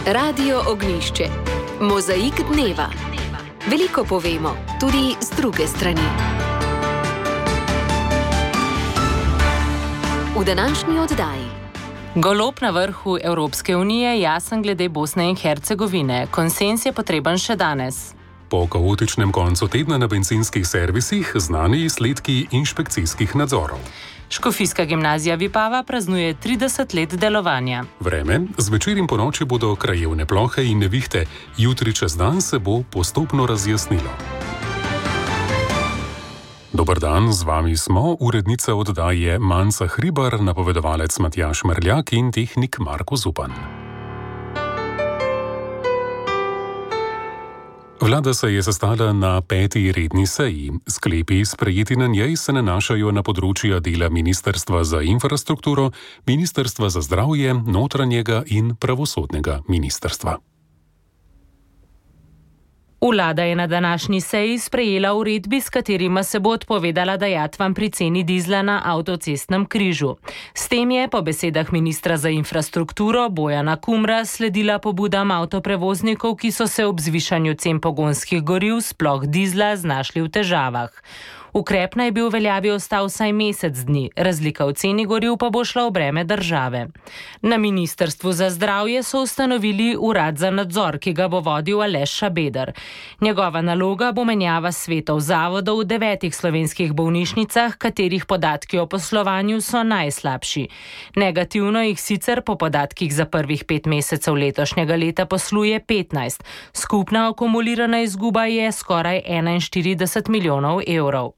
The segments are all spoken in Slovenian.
Radio Ognjišče. Mozaik dneva. Veliko povemo, tudi z druge strani. V današnji oddaji. Golob na vrhu Evropske unije jasen glede Bosne in Hercegovine. Konsenz je potreben še danes. Po kaotičnem koncu tedna na bencinskih servisih znani izsledki inšpekcijskih nadzorov. Škofijska gimnazija Vipava praznuje 30 let delovanja. Vreme, zvečer in ponoči bodo krajevne plohe in nevihte, jutri čez dan se bo postopno razjasnilo. Dober dan, z vami smo, urednica oddaje Manca Hribar, napovedovalec Matjaž Merljak in tehnik Marko Zupan. Vlada se je sestala na 5. redni seji. Sklepi, sprejeti na njej, se nanašajo na področja dela Ministrstva za infrastrukturo, Ministrstva za zdravje, notranjega in pravosodnega ministrstva. Vlada je na današnji seji sprejela uredbi, s katerima se bo odpovedala dajatvam pri ceni dizla na avtocestnem križu. S tem je po besedah ministra za infrastrukturo Bojana Kumra sledila pobudam avtoprevoznikov, ki so se ob zvišanju cen pogonskih goriv, sploh dizla, znašli v težavah. Ukrep naj bi v veljavi ostal vsaj mesec dni, razlika v ceni goriv pa bo šla v breme države. Na Ministrstvu za zdravje so ustanovili urad za nadzor, ki ga bo vodil Aleš Šabeder. Njegova naloga bo menjava svetov zavodov v 9 slovenskih bolnišnicah, katerih podatki o poslovanju so najslabši. Negativno jih sicer po podatkih za prvih 5 mesecev letošnjega leta posluje 15. Skupna akumulirana izguba je skoraj 41 milijonov evrov.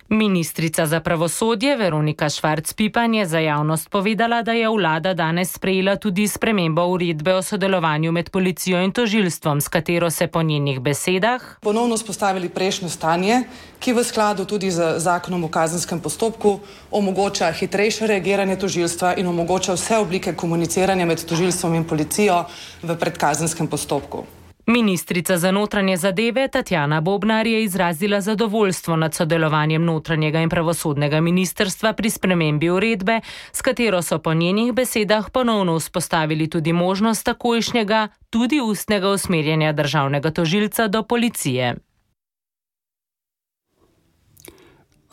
Ministrica za pravosodje Veronika Švarc-Pipan je za javnost povedala, da je vlada danes sprejela tudi spremembo uredbe o sodelovanju med policijo in tožilstvom, s katero se po njenih besedah ponovno vzpostavili prejšnje stanje, ki v skladu tudi z zakonom o kazenskem postopku omogoča hitrejše reagiranje tožilstva in omogoča vse oblike komuniciranja med tožilstvom in policijo v predkazenskem postopku. Ministrica za notranje zadeve Tatjana Bobnar je izrazila zadovoljstvo nad sodelovanjem notranjega in pravosodnega ministrstva pri spremembi uredbe, s katero so po njenih besedah ponovno vzpostavili tudi možnost takojšnjega, tudi ustnega usmerjanja državnega tožilca do policije.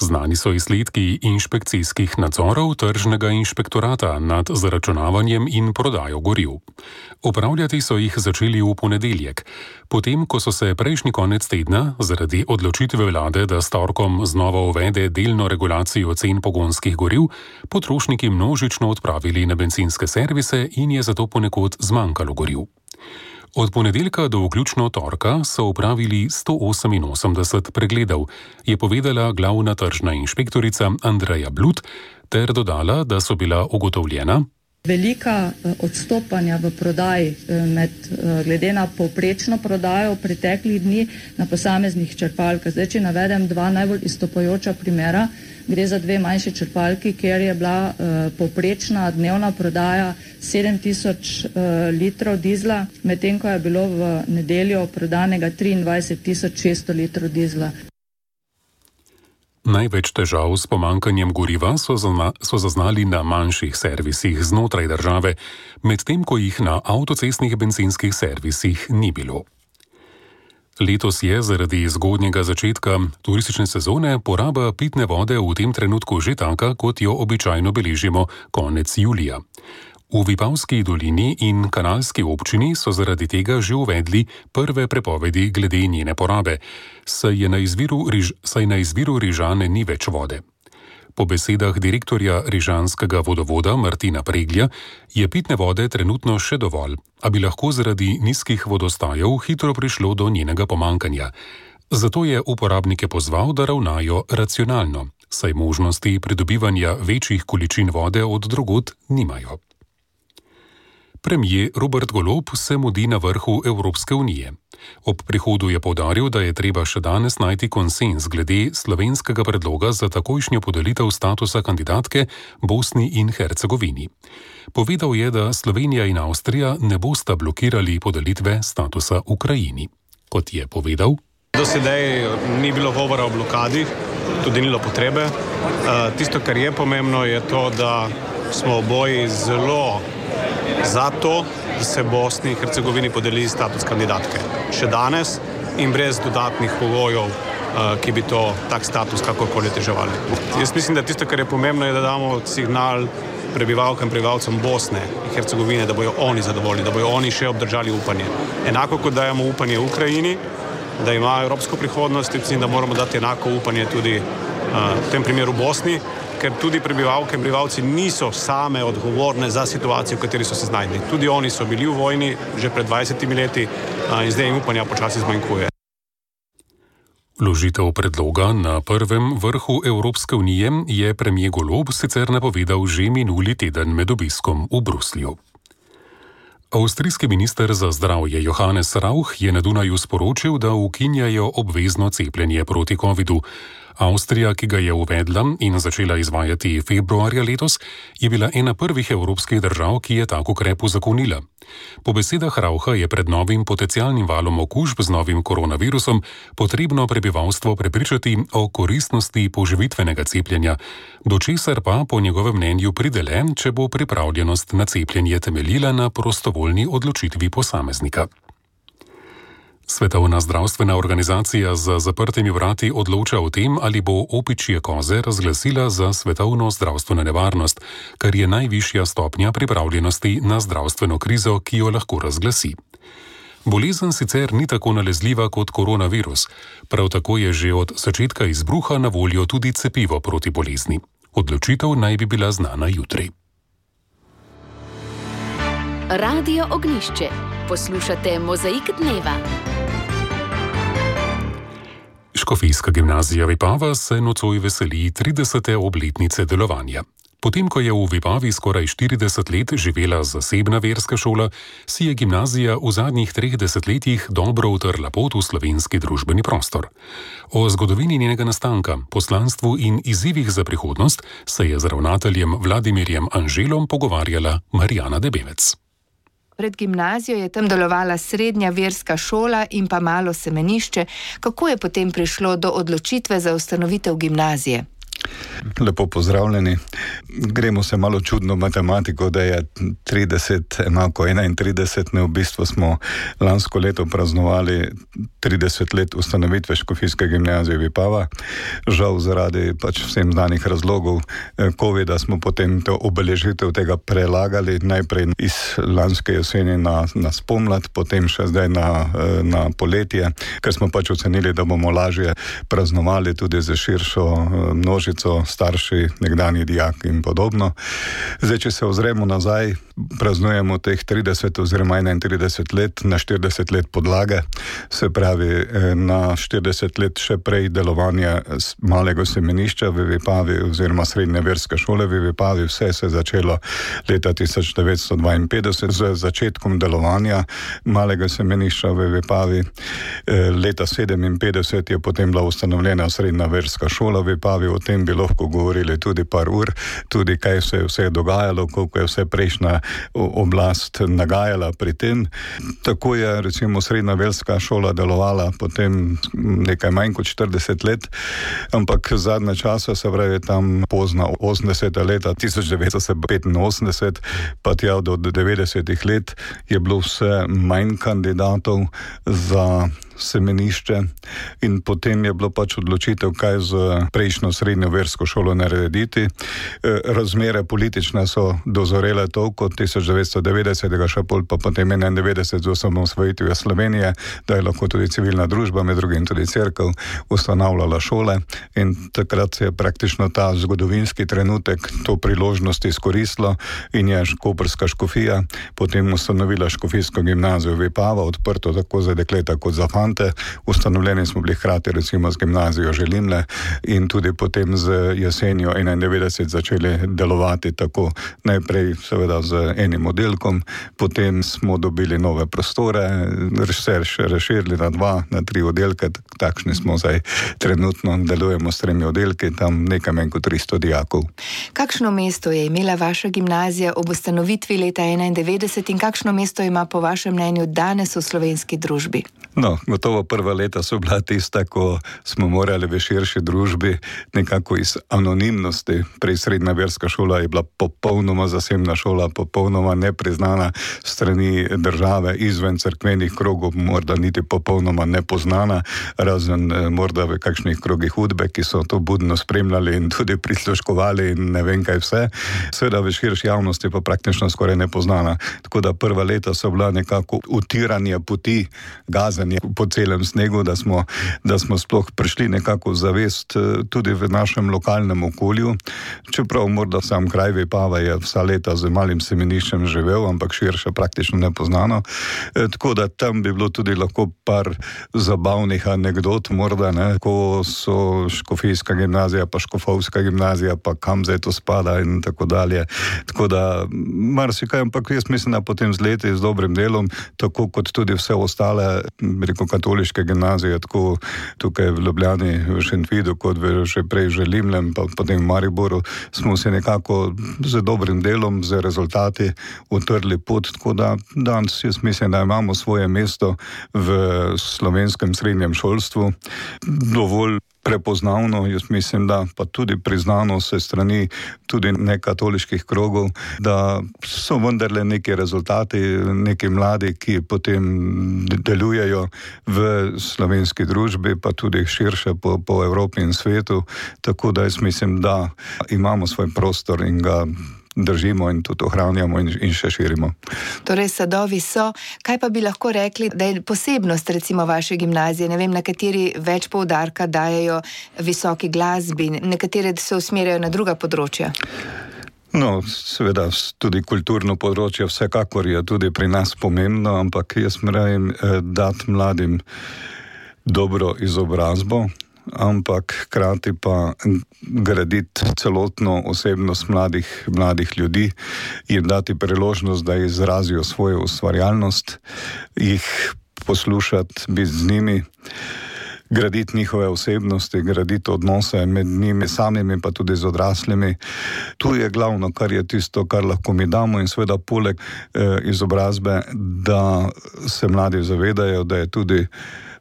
Znani so izsledki inšpekcijskih nadzorov tržnega inšpektorata nad zaračunavanjem in prodajo goriv. Opravljati so jih začeli v ponedeljek, potem ko so se prejšnji konec tedna zaradi odločitve vlade, da s torkom znova uvede delno regulacijo cen pogonskih goriv, potrošniki množično odpravili na bencinske servise in je zato ponekod zmanjkalo goriv. Od ponedeljka do vključno torka so opravili 188 pregledov, je povedala glavna tržna inšpektorica Andreja Blut, ter dodala, da so bila ugotovljena velika odstopanja v prodaji glede na povprečno prodajo v preteklih dni na posameznih črpalkah. Zdaj, če navedem 2 najbolj izstopajoča primera, gre za 2 manjše črpalki, kjer je bila povprečna dnevna prodaja 7000 litrov dizla, medtem ko je bilo v nedeljo prodanega 23600 litrov dizla. Največ težav s pomanjkanjem goriva so zaznali na manjših servisih znotraj države, medtem ko jih na avtocestnih bencinskih servisih ni bilo. Letos je zaradi zgodnjega začetka turistične sezone poraba pitne vode v tem trenutku že taka, kot jo običajno beležimo konec julija. V Vipavski dolini in Kanalski občini so zaradi tega že uvedli prve prepovedi glede njene porabe, saj na izviru Rižane ni več vode. Po besedah direktorja rižanskega vodovoda Martina Preglja je pitne vode trenutno še dovolj, a bi lahko zaradi nizkih vodostajev hitro prišlo do njenega pomankanja. Zato je uporabnike pozval, da ravnajo racionalno, saj možnosti pridobivanja večjih količin vode od drugod nimajo. Premier Robert Golob se mudi na vrhu Evropske unije. Ob prihodu je poudaril, da je treba še danes najti konsenz glede slovenskega predloga za takojšnjo podelitev statusa kandidatke Bosni in Hercegovini. Povedal je, da Slovenija in Avstrija ne bosta blokirali podelitve statusa Ukrajini. Kot je povedal, do sedaj ni bilo govora o blokadi, tudi ni bilo potrebe. Tisto, kar je pomembno, je to, da smo oboji zelo za to, da se Bosni in Hercegovini podeli status kandidatke. Še danes in brez dodatnih pogojev, ki bi tak status kakorkoli oteževali. Jaz mislim, da tisto, kar je pomembno, je, da damo signal prebivalkam in prebivalcem Bosne in Hercegovine, da bojo oni zadovoljni, da bojo oni še obdržali upanje. Enako kot dajemo upanje Ukrajini, da ima evropsko prihodnost, in da moramo dati enako upanje tudi v tem primeru Bosni, ker tudi prebivalke in prebivalci niso same odgovorne za situacijo, v kateri so se znašli. Tudi oni so bili v vojni že pred 20 leti in zdaj jim upanja počasi zmanjkuje. Vložitev predloga na prvem vrhu Evropske unije je premier Golob sicer napovedal že minuli teden med obiskom v Bruslju. Avstrijski minister za zdravje Johannes Rauch je na Dunaju sporočil, da ukinjajo obvezno cepljenje proti covidu. Avstrija, ki ga je uvedla in začela izvajati februarja letos, je bila ena prvih evropskih držav, ki je tak ukrep uzakonila. Po besedah Raucha je pred novim potencialnim valom okužb z novim koronavirusom potrebno prebivalstvo prepričati o koristnosti poživitvenega cepljenja, do česar pa po njegovem mnenju pride le, če bo pripravljenost na cepljenje temeljila na prostovoljni odločitvi posameznika. Svetovna zdravstvena organizacija za zaprtimi vrati odloča o tem, ali bo opičje koze razglasila za svetovno zdravstveno nevarnost, kar je najvišja stopnja pripravljenosti na zdravstveno krizo, ki jo lahko razglasi. Bolezen sicer ni tako nalezljiva kot koronavirus, prav tako je že od začetka izbruha na voljo tudi cepivo proti bolezni. Odločitev naj bi bila znana jutri. Radio Ognjišče. Poslušate Mozaik dneva. Škofijska gimnazija Vipava se nocoj veseli 30. obletnice delovanja. Potem, ko je v Vipavi skoraj 40 let živela zasebna verska šola, si je gimnazija v zadnjih 3 desetletjih dobro utrla pot v slovenski družbeni prostor. O zgodovini njenega nastanka, poslanstvu in izzivih za prihodnost se je z ravnateljem Vladimirjem Anželom pogovarjala Marjana Debevec. Pred gimnazijo je tam delovala srednja verska šola in pa malo semenišče. Kako je potem prišlo do odločitve za ustanovitev gimnazije? Lepo pozdravljeni. Gremo se malo čudno matematiko, da je 30 enako 31, v bistvu smo lansko leto praznovali 30 let ustanovitve Škofijske gimnazije Vipava. Žal zaradi vsem znanih razlogov covida smo potem to obeležitev tega prelagali, najprej iz lanske jeseni na spomlad, potem še zdaj na poletje, ker smo ocenili, da bomo lažje praznovali tudi za širšo množico, starši, nekdanji dijaki in podobno. Zdaj, če se ozremo nazaj, praznujemo teh 30 oziroma 31 let na 40 let podlage, se pravi na 40 let še prej delovanja malega semenišča v Vipavi oziroma srednje verske šole v Vipavi. Vse se je začelo leta 1952 z začetkom delovanja malega semenišča v Vipavi. Leta 1957 je potem bila ustanovljena srednja verska šola v Vipavi. O tem bi lahko govorili tudi par ur, tudi kaj se je vse dogajalo, koliko je vse prejšnja oblast nagajala pri tem. Tako je recimo srednja verska šola delovala potem nekaj manj kot 40 let, ampak zadnje časa, se pravi tam pozna 80. leta 1985 pa tja do 90. let je bilo vse manj kandidatov za semenišče in potem je bilo odločitev, kaj z prejšnjo srednjo versko šolo narediti. Razmere politične so dozorele toliko 1990, še pol pa potem 91 z osamosvojitvijo Slovenije, da je lahko tudi civilna družba, med drugim tudi cerkev, ustanavljala šole in takrat se je praktično ta zgodovinski trenutek to priložnost izkoristilo in je koprska škofija potem ustanovila Škofijsko gimnazijo Vipava, odprto tako za dekleta kot za fante. Ustanovljeni smo bili hkrati recimo z gimnazijo Želimle in tudi potem z jesenjo 91 začeli delovati tako najprej seveda z enim oddelkom, potem smo dobili nove prostore, se razširili na 2, na 3 oddelke, takšni smo zdaj trenutno, delujemo s 3 oddelki, tam nekaj manj kot 300 dijakov. Kakšno mesto je imela vaša gimnazija ob ustanovitvi leta 91 in kakšno mesto ima po vašem mnenju danes v slovenski družbi? No, Gotovo prva leta so bila tista, ko smo morali v širši družbi nekako iz anonimnosti. Prej srednja verska šola je bila popolnoma zasebna šola, popolnoma nepriznana strani države, izven cerkvenih krogov, morda niti popolnoma nepoznana, razen morda v kakšnih krogih udbe, ki so to budno spremljali in tudi prisluškovali in ne vem kaj vse. Seveda v širši javnosti pa praktično skoraj nepoznana. Tako da prva leta so bila nekako utiranje poti, gazanje po celem snegu, da smo sploh prišli nekako v zavest tudi v našem lokalnem okolju. Čeprav morda sam kraj Vipava je vsa leta z malim semeniščem živel, ampak širše praktično nepoznano. Tako da tam bi bilo tudi lahko par zabavnih anegdot, morda, ne, ko so škofijska gimnazija, pa škofovska gimnazija, pa kam zdaj to spada in tako dalje. Tako da marsikaj, ampak jaz mislim, da potem z leti, z dobrim delom, tako kot tudi vse ostale, katoliške gimnazije, tako tukaj v Ljubljani, v Šentvidu, kot že prej v Limlem, pa potem v Mariboru, smo se nekako z dobrim delom, z rezultati utrli pot, tako da danes jaz mislim, da imamo svoje mesto v slovenskem srednjem šolstvu. Dovolj prepoznavno, jaz mislim, da pa tudi priznano se strani tudi nekatoliških krogov, da so vendarle neki rezultati, neki mladi, ki potem delujejo v slovenski družbi, pa tudi širše po Evropi in svetu, tako da jaz mislim, da imamo svoj prostor in ga držimo in tudi ohranjamo in še širimo. Torej, sadovi so. Kaj pa bi lahko rekli, da je posebnost recimo vaše gimnazije? Ne vem, na kateri več poudarka dajejo visoki glasbi, nekatere se usmerjajo na druga področja. No, seveda, tudi kulturno področje vsekakor je tudi pri nas pomembno, ampak jaz moram dati mladim dobro izobrazbo, ampak hkrati pa graditi celotno osebnost mladih ljudi, jim dati priložnost, da izrazijo svojo ustvarjalnost, jih poslušati, biti z njimi, graditi njihove osebnosti, graditi odnose med njimi samimi, pa tudi z odraslimi. Tu je glavno, kar je tisto, kar lahko mi damo in seveda poleg izobrazbe, da se mladi zavedajo, da je tudi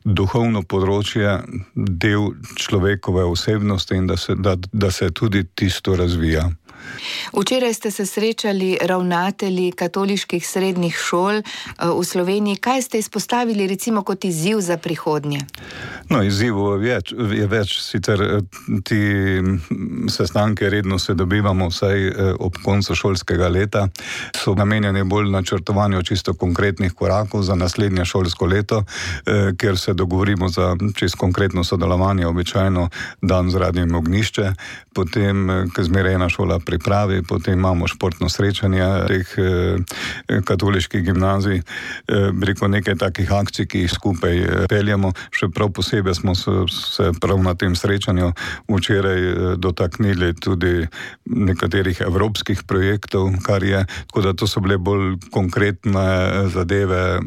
duhovno področje del človekove osebnosti in da se tudi tisto razvija. Včeraj ste se srečali ravnatelji katoliških srednjih šol v Sloveniji. Kaj ste izpostavili recimo kot izziv za prihodnje? No, izzivov je več. Sicer ti sestanke redno se dobivamo vsaj ob koncu šolskega leta. So namenjeni bolj načrtovanju čisto konkretnih korakov za naslednje šolsko leto, kjer se dogovorimo za čisto konkretno sodelovanje, običajno dan z Radiem Ognjišče, potem, ko zmeraj ena šola pripravi, potem imamo športno srečanje teh katoliških gimnazij, preko nekaj takih akcij, ki jih skupaj peljemo. Še prav posebej smo se prav na tem srečanju včeraj dotaknili tudi nekaterih evropskih projektov, kar je, tako da to so bile bolj konkretne zadeve,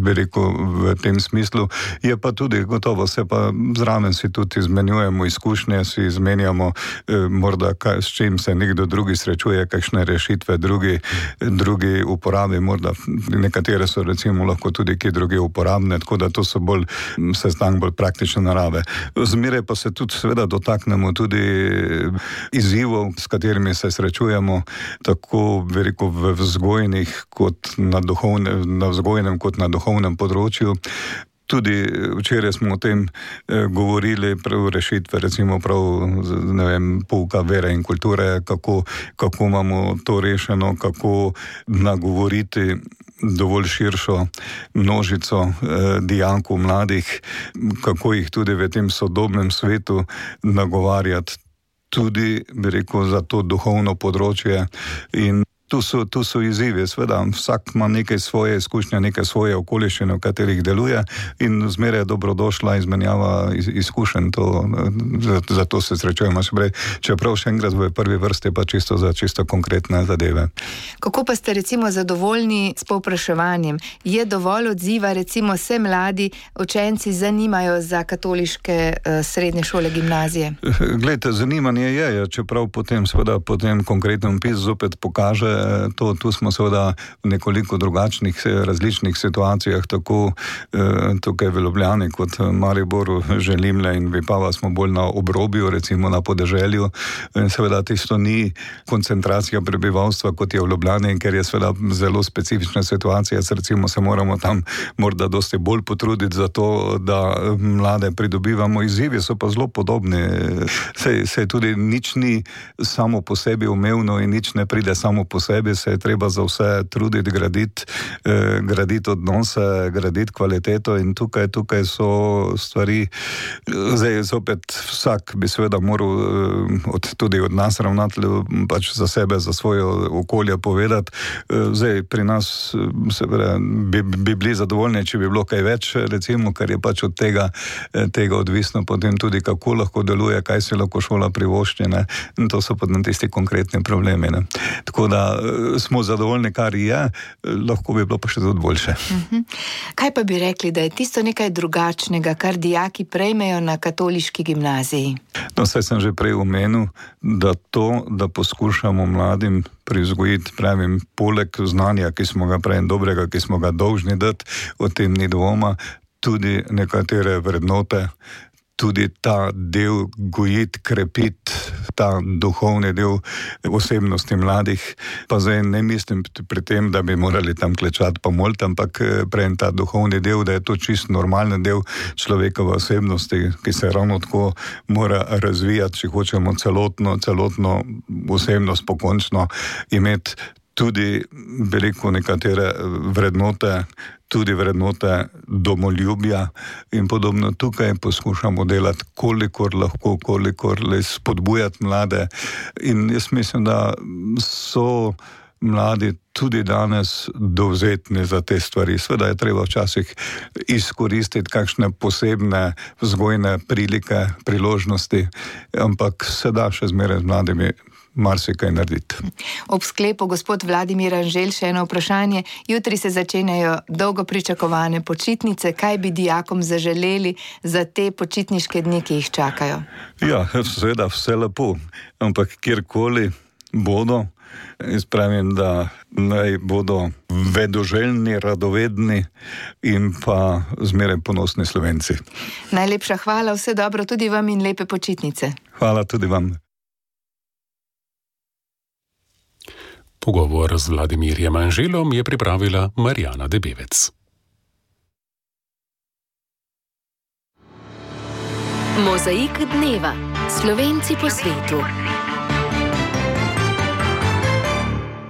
v tem smislu. Je pa tudi gotovo, se pa zraven si tudi izmenjujemo izkušnje, si izmenjamo morda s čim se nekdo drugi srečuje, kakšne rešitve drugi uporabi, morda nekatere so recimo lahko tudi kje druge uporabne, tako da to so bolj sestank bolj praktične narave. Zmeraj pa se tudi seveda dotaknemo tudi izzivov, s katerimi se srečujemo, tako veliko v vzgojnih kot na vzgojnem kot na duhovnem področju. Tudi včeraj smo o tem govorili, prav rešitve, recimo prav, ne vem, pouka vere in kulture, kako imamo to rešeno, kako nagovoriti dovolj širšo množico dijakov, mladih, kako jih tudi v tem sodobnem svetu nagovarjati tudi, bi rekel, za to duhovno področje. In tu so izzivi, seveda, vsak ima nekaj svoje izkušnje, nekaj svoje okoliščine, v katerih deluje in zmeraj je dobrodošla izmenjava izkušenj, zato se srečujemo še prej. Čeprav še enkrat v prvi vrsti pa čisto konkretne zadeve. Kako pa ste recimo zadovoljni s povpraševanjem? Je dovolj odziva, recimo se mladi učenci zanimajo za katoliške srednje šole, gimnazije? Glejte, zanimanje je, čeprav potem konkretno PIS zopet pokaže to, tu smo seveda v nekoliko drugačnih, različnih situacijah, tako tukaj v Ljubljani kot Mariboru, Želimlje in Vipava smo bolj na obrobju, recimo na podeželju. Seveda tisto ni koncentracija prebivalstva, kot je v Ljubljani, ker je seveda zelo specifična situacija, recimo se moramo tam morda dosti bolj potruditi za to, da mlade pridobivamo. Izzivi so pa zelo podobni. Se tudi nič ni samo po sebi umevno in nič ne pride samo po sebi, se je treba za vse truditi, graditi odnose, graditi kvaliteto in tukaj so stvari. Zdaj zopet vsak bi seveda moral tudi od nas ravnateljev pač za sebe, za svoje okolje povedati. Zdaj pri nas bi bili zadovoljni, če bi bilo kaj več, recimo, ker je pač od tega odvisno potem tudi, kako lahko deluje, kaj se lahko šola privošči, ne? In to so potem tisti konkretni problemi, ne? Tako da smo zadovoljni, kar je, lahko bi bilo pa še tudi boljše. Kaj pa bi rekli, da je tisto nekaj drugačnega, kar dijaki prejmejo na katoliški gimnaziji? No, saj sem že prej omenil, da poskušamo mladim privzgojiti, pravim, poleg znanja, ki smo ga prej dobrega, ki smo ga dolžni dati, o tem ni dvoma, tudi nekatere vrednote, tudi ta del gojiti, krepiti, ta duhovni del osebnosti mladih. Pa zdaj ne mislim pri tem, da bi morali tam klečati pa moliti, ampak prej ta duhovni del, da je to čist normalni del človekove osebnosti, ki se ravno tako mora razvijati, če hočemo celotno osebnost pokončno imeti. Tudi veliko nekatere vrednote, tudi vrednote domoljubja in podobno. Tukaj poskušamo delati, kolikor lahko, kolikor le spodbujati mlade. In jaz mislim, da so mladi tudi danes dovzetni za te stvari. Sveda je treba včasih izkoristiti kakšne posebne vzgojne prilike, priložnosti, ampak se da še zmeraj z mladimi marsikaj narediti. Ob sklepu, gospod Vladimir Anželj, še eno vprašanje. Jutri se začenjajo dolgo pričakovane počitnice. Kaj bi dijakom zaželeli za te počitniške dni, ki jih čakajo? Ja, seveda vse lepo, ampak kjerkoli bodo, jaz pravim, da naj bodo vedoželjni, radovedni in pa zmeraj ponosni Slovenci. Najlepša hvala, vse dobro tudi vam in lepe počitnice. Hvala tudi vam. Pogovor z Vladimirjem Anželom je pripravila Marjana Debevec. Mozaik dneva. Slovenci po svetu.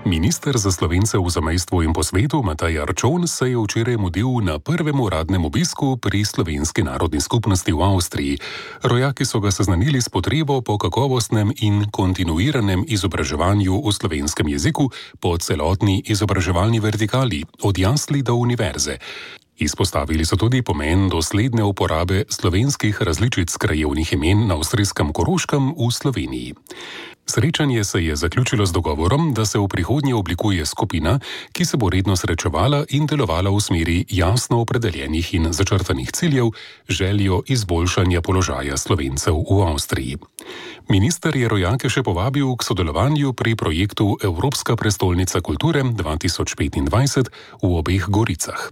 Minister za Slovence v zamejstvu in po svetu Matej Arčon se je včeraj mudil na prvem uradnem obisku pri slovenski narodni skupnosti v Avstriji. Rojaki so ga seznanili s potrebo po kakovostnem in kontinuiranem izobraževanju v slovenskem jeziku po celotni izobraževalni vertikali, od jasli do univerze. Izpostavili so tudi pomen dosledne uporabe slovenskih različic krajevnih imen na avstrijskem Koroškem v Sloveniji. Srečanje se je zaključilo z dogovorom, da se v prihodnje oblikuje skupina, ki se bo redno srečevala in delovala v smeri jasno opredeljenih in začrtanih ciljev, željo izboljšanja položaja Slovencev v Avstriji. Minister je rojake še povabil k sodelovanju pri projektu Evropska prestolnica kulture 2025 v obeh Goricah.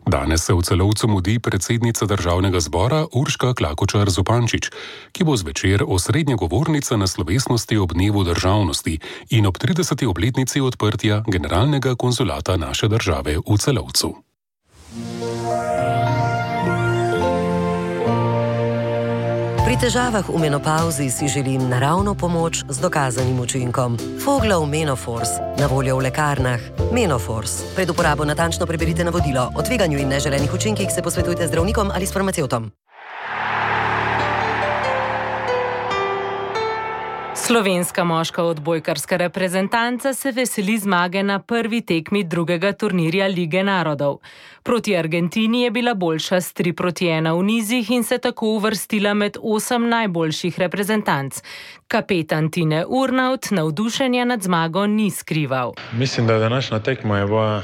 Danes se v Celovcu mudi predsednica Državnega zbora Urška Klakočar Zupančič, ki bo zvečer osrednja govornica na slovesnosti ob dnevu državnosti in ob 30. obletnici odprtja generalnega konzulata naše države v Celovcu. Pri težavah v menopavzi si želim naravno pomoč z dokazanim učinkom. Foglov Menofors, na voljo v lekarnah. Menofors. Pred uporabo natančno preberite navodilo. O tveganju in neželenih učinkih se posvetujte z zdravnikom ali s farmacevtom. Slovenska moška odbojkarska reprezentanca se veseli zmage na prvi tekmi drugega turnirja Lige narodov. Proti Argentini je bila boljša s 3-1 v nizih in se tako uvrstila med 8 najboljših reprezentanc. Kapetan Tine Urnaut navdušenja nad zmago ni skrival. Mislim, da današnja tekma je bila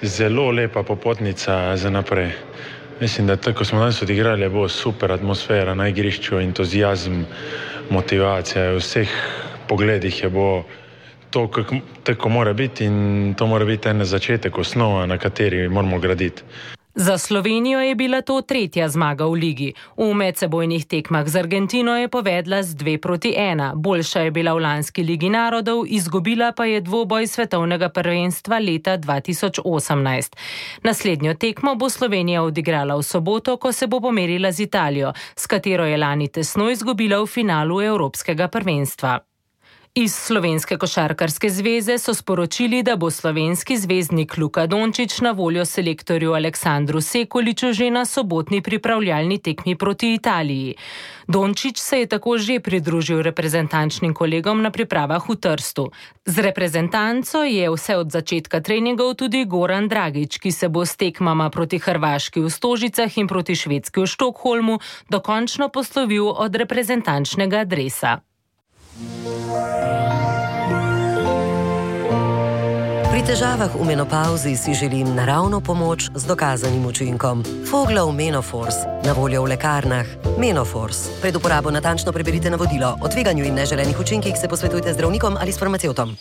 zelo lepa popotnica za naprej. Mislim, da tako smo danes odigrali, je bila super atmosfera na igrišču, entuzijazm, motivacija, v vseh pogledih je bilo to, kako mora biti, in to mora biti en začetek, osnova, na kateri moramo graditi. Za Slovenijo je bila to 3. zmaga v ligi. V medsebojnih tekmah z Argentino je povedla z 2-1. Boljša je bila v lanski Ligi narodov, izgubila pa je dvoboj svetovnega prvenstva leta 2018. Naslednjo tekmo bo Slovenija odigrala v soboto, ko se bo pomerila z Italijo, s katero je lani tesno izgubila v finalu Evropskega prvenstva. Iz Slovenske košarkarske zveze so sporočili, da bo slovenski zvezdnik Luka Dončić na voljo selektorju Aleksandru Sekuliću že na sobotni pripravljalni tekmi proti Italiji. Dončić se je tako že pridružil reprezentančnim kolegom na pripravah v Trstu. Z reprezentanco je vse od začetka treningov tudi Goran Dragić, ki se bo s tekmama proti Hrvaški v Stožicah in proti Švedski v Štokholmu dokončno poslovil od reprezentančnega dresa. Pri težavah v menopavzi si želim naravno pomoč z dokazanim učinkom. Foglov Menoforce, na voljo v lekarnah. Menoforce. Pred uporabo natančno preberite navodilo. O tveganju in neželenih učinkih se posvetujte z zdravnikom ali s farmacevtom.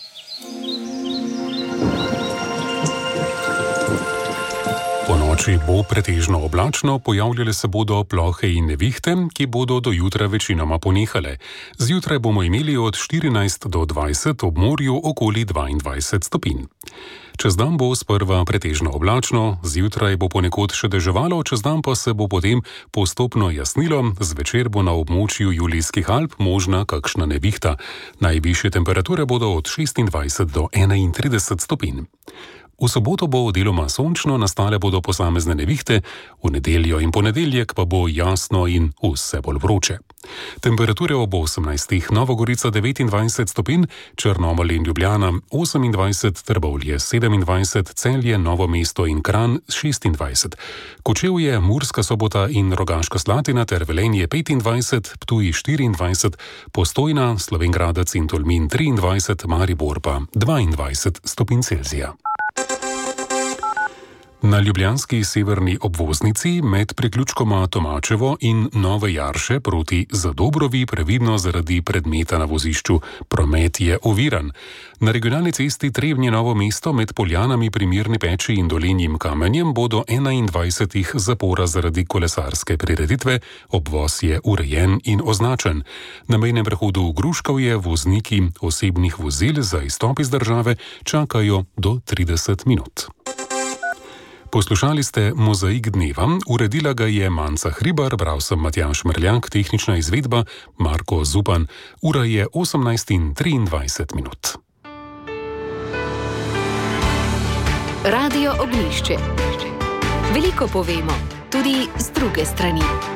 Po noči bo pretežno oblačno, pojavljale se bodo plohe in nevihte, ki bodo do jutra večinoma ponehale. Zjutraj bomo imeli od 14 do 20, ob morju okoli 22 stopinj. Čez dan bo sprva pretežno oblačno, zjutraj bo ponekod še deževalo, čez dan pa se bo potem postopno jasnilo, zvečer bo na območju Julijskih Alp možna kakšna nevihta. Najvišje temperature bodo od 26 do 31 stopinj. V soboto bo deloma sončno, nastale bodo posamezne nevihte, v nedeljo in ponedeljek pa bo jasno in vse bolj vroče. Temperature ob 18. Nova Gorica 29 stopinj, Črnomelj in Ljubljana 28, Trbovlje 27, Celje, Novo mesto in Kranj 26. Kočevje, Murska Sobota in Rogaška Slatina ter Velenje 25, Ptuj 24, Postojna, Slovenj Gradec in Tolmin 23, Maribor pa 22 stopinj Celzija. Na ljubljanski severni obvoznici med priključkoma Tomačevo in Nove Jarše proti Zadobrovi previdno zaradi predmeta na vozišču. Promet je oviran. Na regionalni cesti Trebnje Novo mesto med Poljanami pri Mirni Peči in Dolenjim Kamenjem bo do 21 zapora zaradi kolesarske prireditve. Obvoz je urejen in označen. Na mejnem prehodu Gruškovje vozniki osebnih vozil za izstop iz države čakajo do 30 minut. Poslušali ste Mozaik dneva, uredila ga je Manca Hribar, bral sem Matjaž Mrljak, tehnična izvedba Marko Zupan. Ura je 18:23 minut. Radio Ognjišče. Veliko povemo, tudi z druge strani.